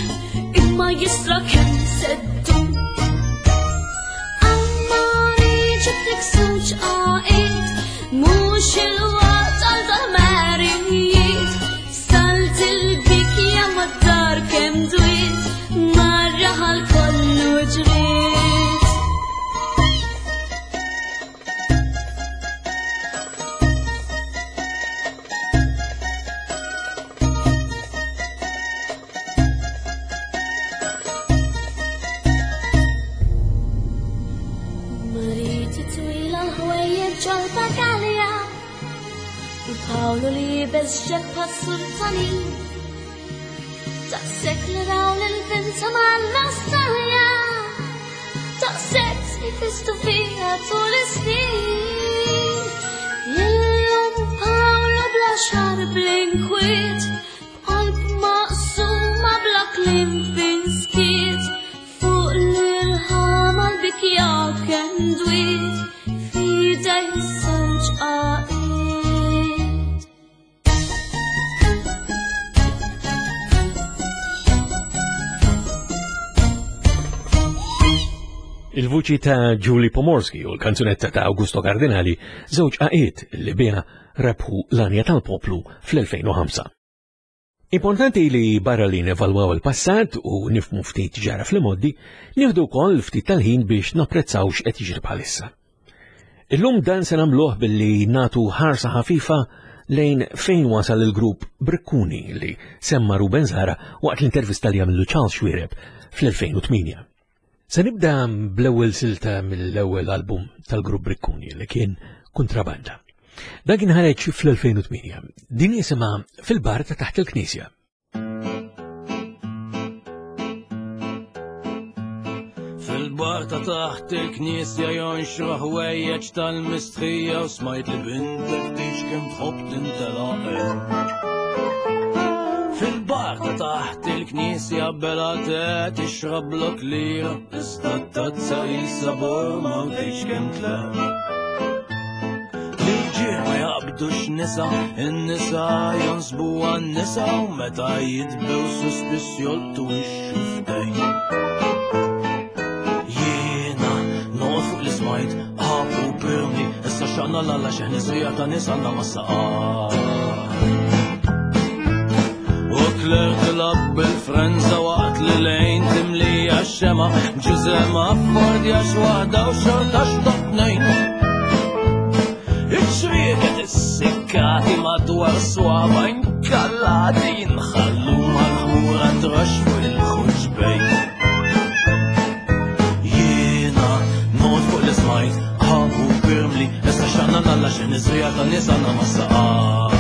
imma jisra kemm seddu. Ammani ġiblek żewġ għaqid, mhux il-waqt għal dal-marijiet. Salt il-bikja mad-dar kemm dwiet, marra għal kollu ġriet. Mariti twila l-ħwejjeġ ġol-bagalja, u Pawlu li beżġek pas-sultanin. Daqshekk li raw lil-binta mal-nostalja, daqshekk tnifistu fiha tul is-snin. Illum Pawlu bla xar bl-inkwiet, b'qalb maqsuma bla kliem fi skiet, fuq l-irħam għall-bikja kemm dwiet, f'idej żewġ għaqid. Il-vuċi ta' Julie Pomorski u l-kanzunetta ta' Augusto Cardinali, żewġ għaqiet li biha rebħu l-Anja tal-Poplu fl-elfejn u ħamsa. Importanti li barra li nevalwaw il-passat u nifmu ftit ġara fl-imoddi, nieħdu wkoll ftit tal-ħin biex napprezzaw x'qed jiġri bħalissa. Illum dan se nagħmluh billi natu ħarsa ħafifa lejn fejn wasal il-grupp Brikkuni li semma Ruben Zahra waqt l-intervista li għamlu Charles Xuereb fl-elfejn u tmienja. Se nibda bl-ewwel silta mill-ewwel album tal-grupp Brikkuni li kien Kontrabanda. Dan kien ħareġ fl-elfejn u tmienja. Din jisimha Fil-bar ta' taħt il-Knisja. Fil-bar ta' taħt il-Knisja jonxru ħwejjeġ tal-mistħija u smajt li bintek tix kemm tħobb tintelaq. Fil-bar ta' taħt il-Knisja bela te tixrab blok lira, iżda t-tazza jisa borma u tix kemm tleq. L-irġiel ma jaqbdux nisa, in-nisa jonsbu għan-nisa u meta jitbew suspiss jolqtu x-xuftejn. Jiena noqgħod fuq l-ismajt, ħabu pirni, issa xaqna l-alla xeħni żrija ta' nisa għandna ma' saqar. U Claire tilab bil-frenza waqt li lejn timlija x-xema, ġużema affordja x'waħda u xorta x'top tnejn. Iċ-ċrieket issikkati madwar swaba inkallati jinħallu mal-ħmura trax fuq il-ħuġbejn. Jiena noqgħod fuq l-ismajt, ħabu pirmli, issa xaqna l-alla xeħni żrija ta' nies għandna ma' saqar.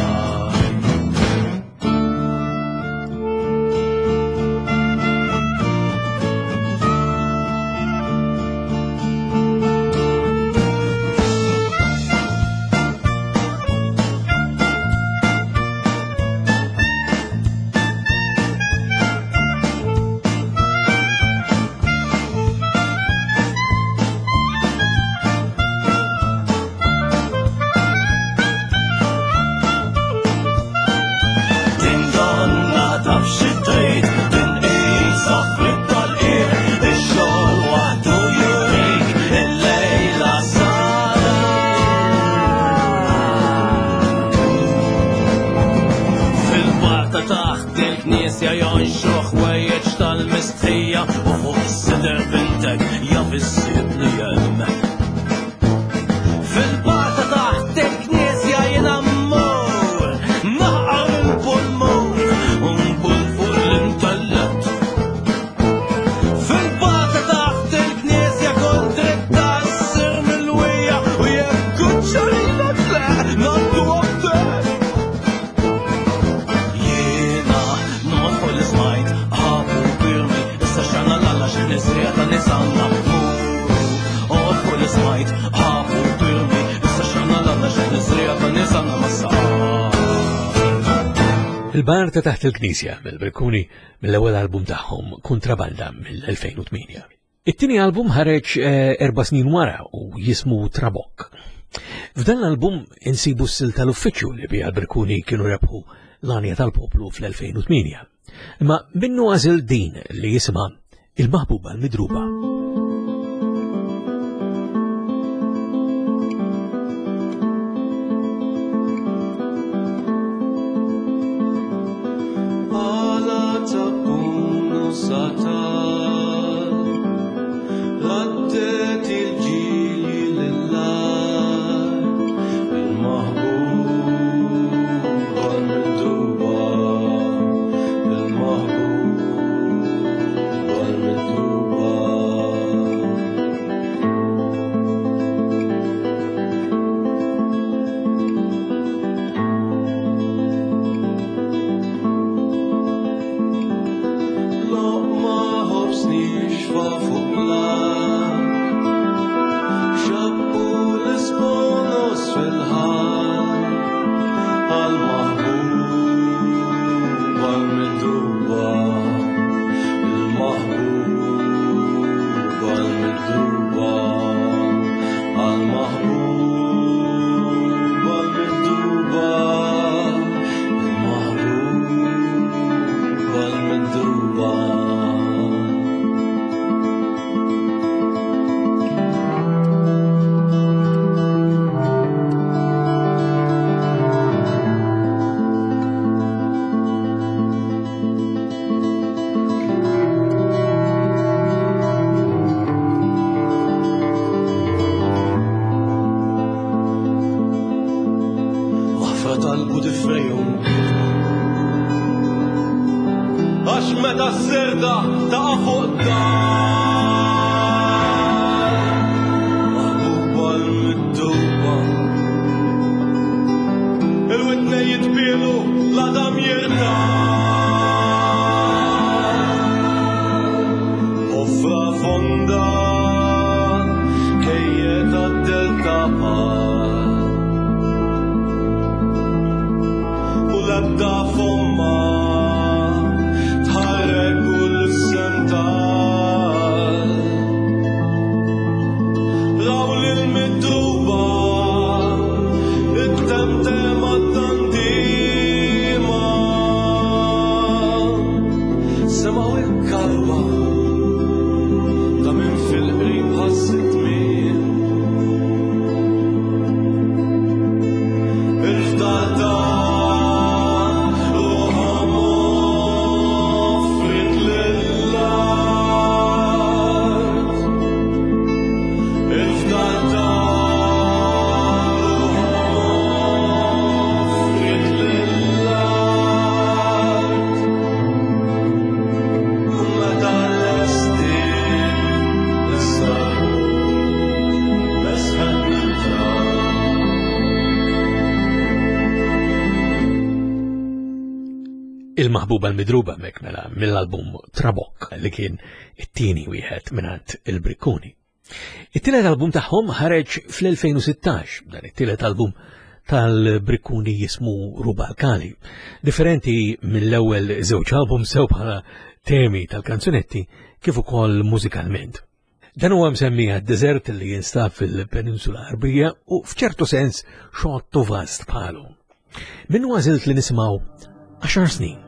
il-knisja jonxru ħwejjeġ tal-mistħija u fuq is-sider bintek jaf issibni hemmhekk. Fil-barta taħt il-knisja jiena mmur, naqar il-pulmun u nbul fuq l-intellett. Fil-barta taħt il-knisja kont dritta ssir mill-wija u jekk kuċċarina tleq ngħaddu għabdek. Jiena noqgħod fuq l-ismajt, ħabu birmi, issa xana l-alla x'nisrija ta' nisanna muru. Oqgħod fuq l-ismajt, ħabu birmi, issa xana l-alla x'nisrija ta' nisanna ma sar. Il-bar ta' taħt il-Knisja mill-Brikkuni mill-ewwel album tagħhom Kontrabanda mill-elfejn u tmienja. It-tieni album ħareġ, eh, erba' snin wara u jismu Trabokk. F'dan l-album insibu s-sil tal-uffiċċju li biha l-Brikkuni kienu rebħu l-għanja tal-poplu fl-elfejn u tmienja. Imma minnu għażel din li jisimha Il-Maħbuba l-Midruba. Il-Maħbuba l-Midruba mek mela mill-album Trabokk li kien it-tieni wieħed mingħand il-Brikkuni. It-tielet album tagħhom ħareġ fl-elfejn u sittax, dan it-tielet album tal-Brikkuni jismu Rubalkali. Differenti mill-ewwel żewġ album sew bħala temi tal-kanzunetti kif ukoll mużikalment. Dan huwa msemmi għad-deżert li jinstab fil-Peninsula Arbija u f'ċertu sens xottu vast bħalu. Minnu għażilt li nisimgħu għaxar snin.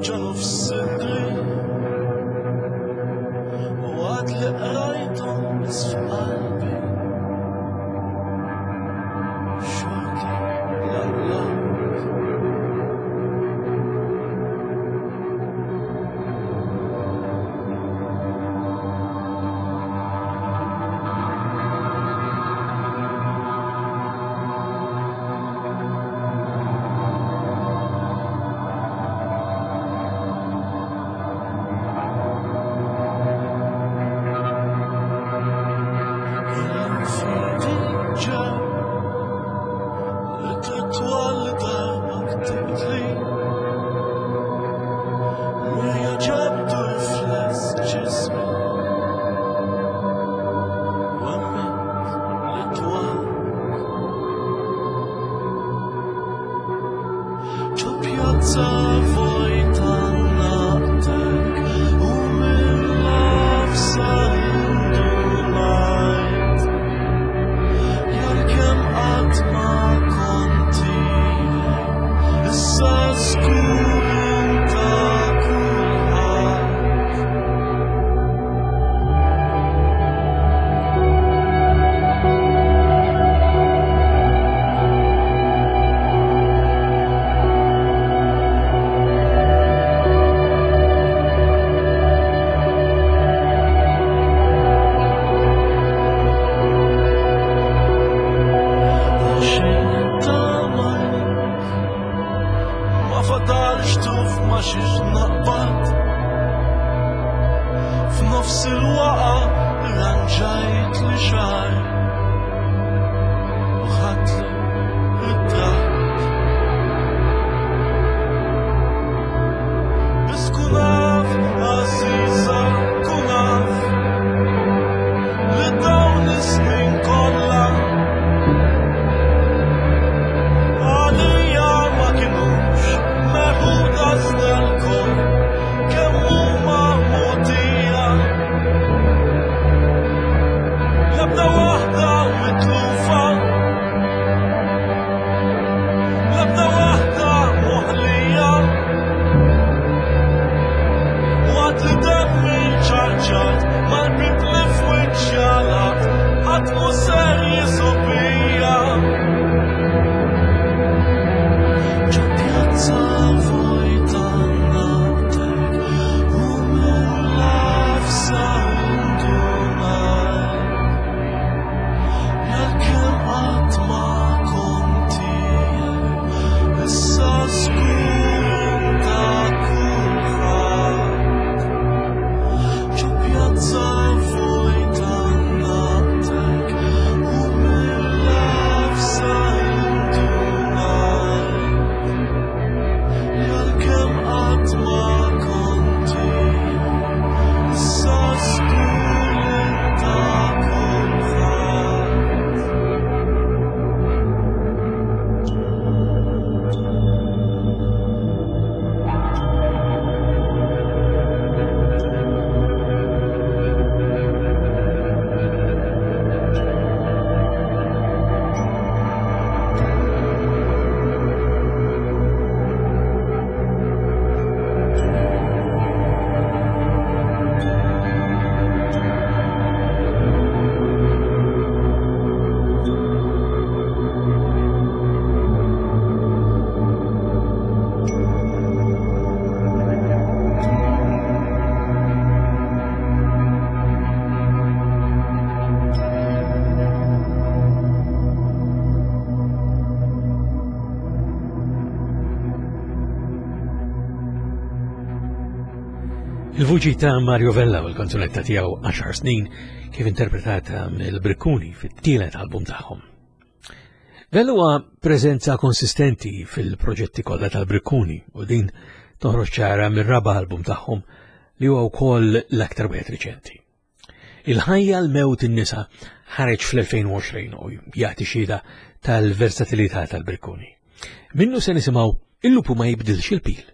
Ġo nofs sidri U għad li qrajthom biss f'qalbi Xorta lallak. Illum f'idi ġew Ittri twal li darba ktibtli Mirja ġabtu rifless ġismi U emmint li twal Ġo pjazza vojta naqtek U mill-nafsa indunajt Jal-kem qatt ma kont tiegħi, issa żgur inta kulħadd. Għaxejn ittamajt, ma fadalx tuf ma xiex naqbad. F'nofs il-waqa ranġajt li xar u ħadtlu ritratt. Biss kun af, għażiża, kun af li dawn is-snin kollha għalija ma kinux meħuda iżda lkoll kemm huma mogħtija. L-ebda waħda mitlufa, l-ebda waħda moħlija. Waqt li demmi ċarċart mal-bib li f'wiċċi għalaqt, qatt mhu ser jisobija. Ġo pjazza vojta naqtek u mill-nafsa indunajt Jal-kem qatt ma kont tiegħi, issa żgur inta kulħadd. Ġo pjazza vojta naqtek u mill-nafsa indunajt Jal-kem qatt ma kont tiegħi, issa żgur inta kulħadd. Il-vuċi ta' Mario Vella u l-kanzunetta tiegħu għaxar snin kif interpretata mill-Brikkuni fit-tielet album tagħhom. Vella huwa preżenza konsistenti fil-proġetti kollha tal-Brikkuni u din toħroġ ċara mir-raba' album tagħhom li huwa wkoll l-aktar wieħed riċenti. Il-ħajja l-mewt in-nisa ħareġ fl-elfejn u għoxrin u jagħti xhieda tal-versatilità tal-Brikkuni. Minnu se nisimgħu Il-lupu ma jibdilx il-pil.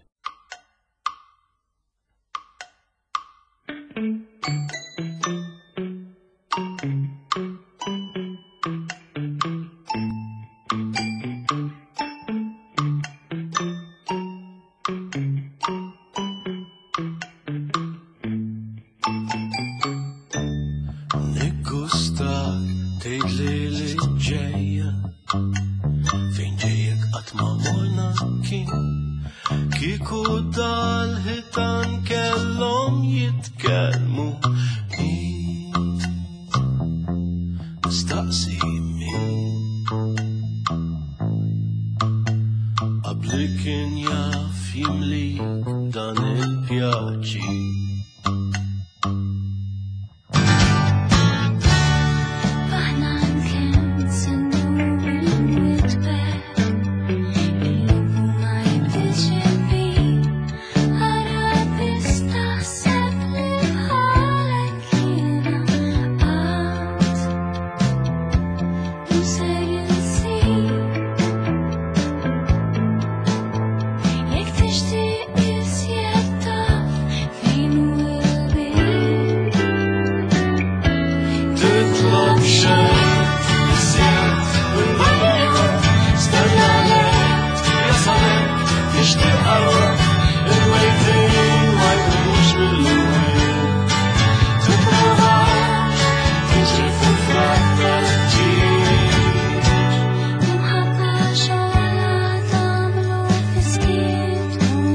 xitan kellhom jitkellmu. Min Nistaqsi min qabli kien jaf jimlik dan il-pjaċi. Aħna kemm sennu il-witbek, il-lupu ma jibdilx il-bin, ara biss taħseb li bħalek jiena qatt mhu ser insib. Jekk tixtieq iżjed taf fejn hu l-bib. Titlob xejn iżjed minn dan il-jum, stenna l-għid jasal hekk tixtieq għarruq, il-mejtin ma jqumux mill-imwiet. Tipprovax tiġri fil-frak tal-ħġieġ. Imħabba xogħla tagħmlu fiskiet u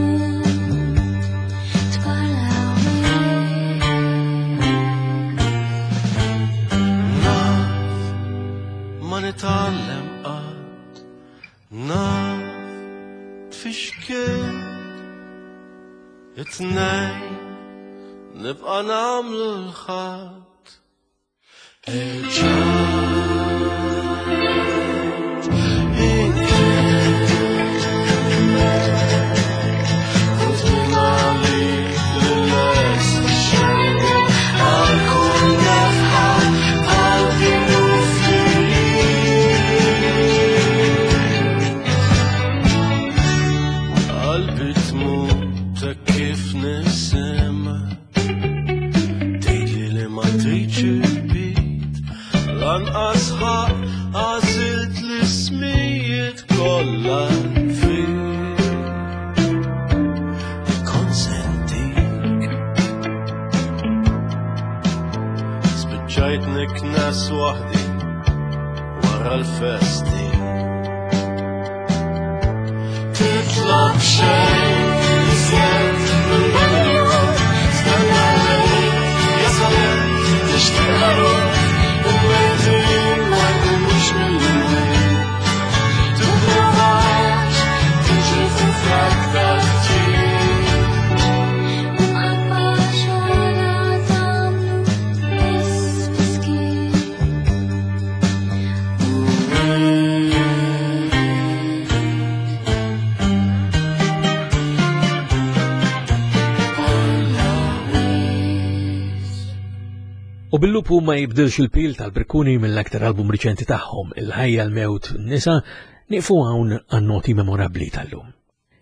tparlaw. Naf ma nitgħallem qatt, naf tfixkil it-tnejn nibqa' nagħmlu l-ħadd. Irġajt inkellmek, kont minn għalik lil-lest ixxejjer għal kull nefħa bħal kienu ftit. Qalbi tmut hekk kif nisimha tgħidli li ma tridx il-bit, lanqas ħaq għażilt l-ismijiet kollha fik. Nikkonsentik. Spiċċajt niknes waħdi wara l-festi. Titlob xejn iżjed minn dan il-jum, stenna l-għid jasal hekk tixtieq ħaruf, il-mejtin ma jqumux mill-imwiet. Tipprovax tiġri fil-frak tal-ħġieġ. Imħabba xogħla tagħmlu biss fiskiet. U bil-lupu ma jibdilx il-pil tal-Brikkuni mill-aktar album riċenti tagħhom, Il-ħajja l-mewt nisa, nieqfu hawn għan-noti memorabbli tal-lum.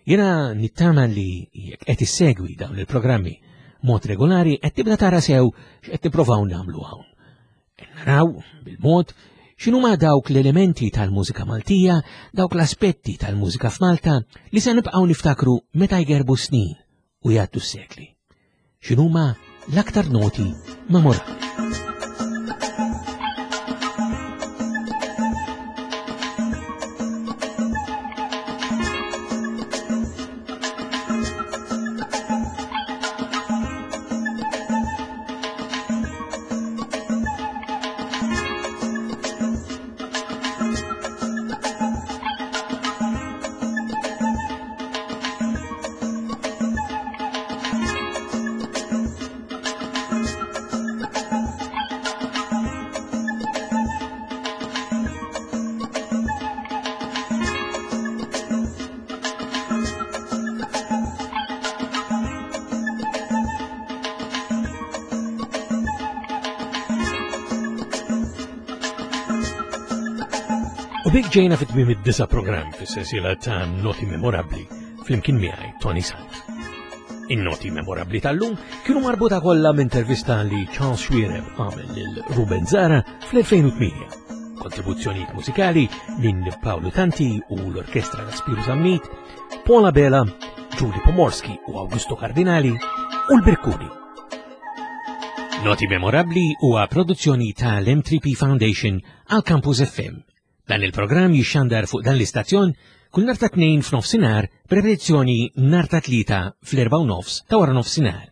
Jiena nittama li jekk qed issegwi dawn il-programmi mod regolari qed tibda tara sew x'qed tipprovaw nagħmlu hawn. Naraw bil-mod x'inhuma dawk l-elementi tal-mużika Maltija, dawk l-aspetti tal-mużika f'Malta li se nibqgħu niftakru meta jgerbu snin u jgħaddu s-sekli. X'inhuma l-aktar noti memorabbli. U bik ġejna fit tmiem id-disa programm fis-sensiela ta' Noti Memorabbli flimkien miegħi Toni Sant. In-noti memorabbli tal-lum kienu marbuta kollha m'intervista li Charles Xuereb għamel lil Ruben Zara fl-elfejn u tmienja. Kontribuzzjonijiet mużikali minn Paolo Tanti u l-Orkestra ta' Spiru Zammit, Paul Abela, Julie Pomorski u Augusto Cardinali u l-Brikkuni. Noti Memorabbli huwa produzzjoni tal-M tre P Foundation għal Campus F M. Dan il-programm jixxandar fuq dan l-istazzjon kull nhar ta' Tnejn f'nofsinhar, b'repetizzjoni nhar ta' Tlieta fl-erbgħa u nofs ta' wara nofsinhar.